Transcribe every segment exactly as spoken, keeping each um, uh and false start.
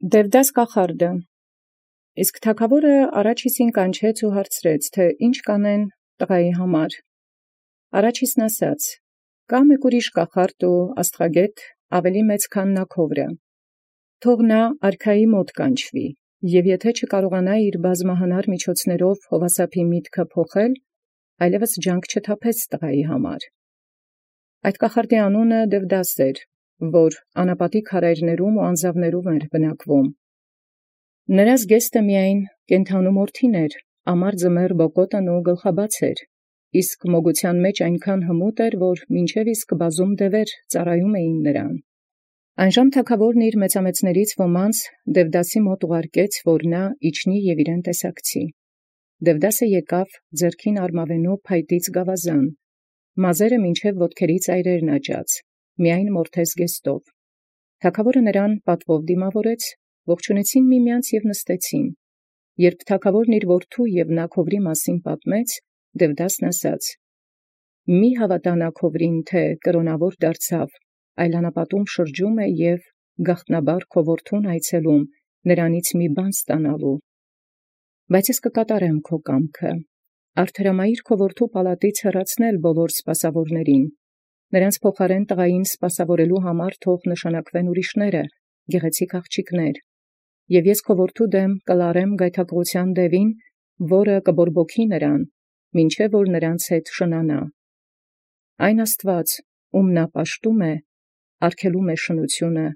Դևդաս կախարդը։ Իսկ թագաւորը առաջնիցն կանչեալ և հարցրեց, թէ ի՛նչ կանեն տղայի համար. առաջնիցն ասաց. «Կա այլ մի կախարդ և աստղագէտ մեծագոյն քան նքովրը. թող նորա արքայի կանչի, և եթէ չկարողանայ բազմահնար միջոցաւք Յովհաննեսի միտքը փոխել, այլևս փութ չթափել տղայի համար»։ Այդ կախարդի անունն Դևդաս էր, որ յանապատի քարայրաց և անձաւոց բնակէր։ Նրա զգեստը միայն կենդանու մորթին էր, ամառ ձմեռ բոկոտն և գլխաբաց էր, իսկ մոգութեան այնչափ հմուտ էր, որ մինչև իսկ բազում դիւացն ծառայէին նմա։ Այնժամ թագաւորն իւր մեծամեծաց Դևդասիե ուղարկէր, որ իջանէ և իւրեանց տեսակցի։ Դևդասը եկեալ ձեռքին արմավենու փայտից գաւազան, մազերը մինչև ոտքերն ծայրերն աճած, միայն մորթէ զգեստով։ Թագաւորին նմա պատուով դիմաւորէր, ողջունեալ միմեանց և նստեալ։ Երբ թագաւորն իւր որդւոյ և նքովրոյ պատմէր, Դևդասն ասաց. «Մի՛ հաւատա նքովրին, թէ կրաւնաւոր դարձեալ, այլ յանապատում շրջէ և գաղտնաբար որդւոյ այցելէ մի բան ստանալու։ Բայց ես կկատարեմ քո կամքը. արդարամայր որդւոյ պալատից յեռացնել ամենայն սպասաւորացն, յանց փոխարէն սպասաւորելոյ թող նշանակվեն այլոց գեղեցիկ աղջիկներ, և ես քո որդւոյ դէմ կլարեմ գայթակղութեան դեւին, որը կբորբոքի նոցին, մինչև որ նոցին հետ շնանայ։ Այն Աստուած, ում պաշտէ, արգելոյ շնութիւնն,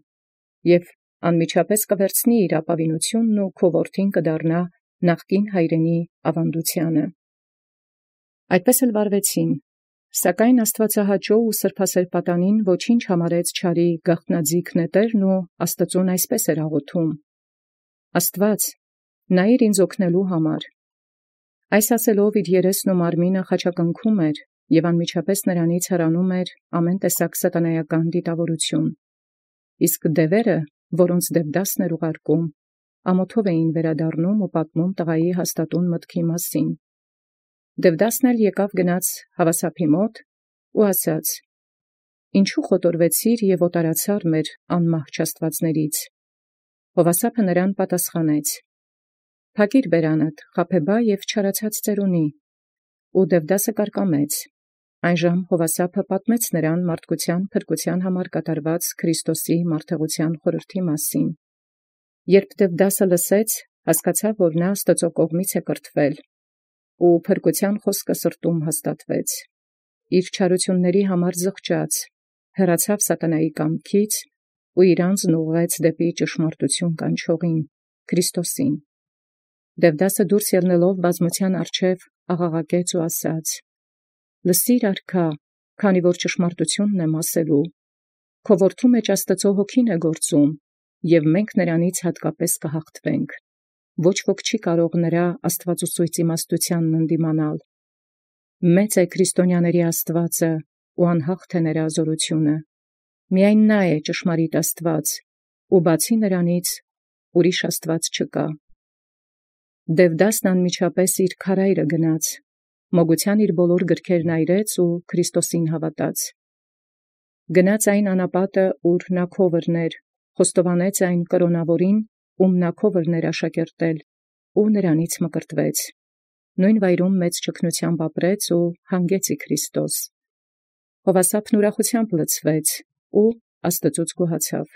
և անմիջապես կվերցնիցի ապաւինութիւնն, և քո որդին կդառնայ նախկին հայրենեաց աւանդութեանն։ Այդպէս էլ վարեցին. սակայն աստուածահաճոյ և սրբասէր պատանին չարին ոչինչ գաղտնաձիգ նետերն և Աստուծոյ այսպէս աղաւթէր. «Աստուած, նայիր ինձ օգնելոյ։ Այս ասելով երեսն և մարմինն խաչակնքէր, և անմիջապես նոցին հեռանէր ամեն տեսակ սատանայական դիտաւորութիւն։ Իսկ դիւացն, որոց Դևդասն ուղարկէր, ամոթով վերադառնային և պատմէին տղայի հաստատուն մտքին։ Դևդասն էլ ելանէր հաւասարին և ասաց. «Յինչո՞ւ խոտորվեցիր և օտարացար անմահճ աստուածացն»։ Յովհաննեսի նմա պատասխանեց. «Փակիր բերանդ, Խաբեբայ, և չարացած ծերունի»։ Եւ Դևդասը կարկամեց։ Այնժամ Յովհաննեսի պատմէր նոցա փրկութեան փրկութեան Քրիստոսի մարտհեղութեան խորհրդոյ։ Երբ Դևդասը լսեալ, հասկացաւ, թէ նորա կողմանցն Աստուծոյ կրթեալ, և փրկութեան խօսքը հաստատեալ սրտոյ, զչարութիւնացն զղջած, հեռացեալ սատանայիւ կամքից և իրանձն ուղղեալ ճշմարտութիւն կանչողին Քրիստոսին։ Դևդասը ելանէր յանդիման բազմութեան աղաղակեալ և ասաց. «Լսի՛ր, արքա, քանի որ ճշմարտութիւնն ասեմ. քո որդւոյ Աստուծոյ Հոգին գործէ, և մենք հատկապէս կհաղթենք. ոչ ոք չի կարող աստուածասոյց իմաստութեանն ընդդիմանալ։ Մեծ է քրիստոնեաց Աստուած, և անհաղթ է նորա զաւրութիւնը. միայն Ն է ճշմարիտ Աստուած, և բացի նորանից այլ աստուած չկա»։ Դևդասն անմիջապես իւր քարայրն գնաց, մոգութեան զամենայն գրոց այրեց և Քրիստոսին հաւատաց։ Գնաց այնու յանապատն, ուր Նքովրն էր, խոստովանէր կրաւնաւորին, ում Նքովրն էր աշակերտել, և նորանից մկրտվեց. նովին վայրում մեծ ճգնութեամբ ապրեց և յանգեաց ի Քրիստոս։ Յովհաննեսին ուրախութեամբ լցուեց, և աստուածոյ գոհացավ։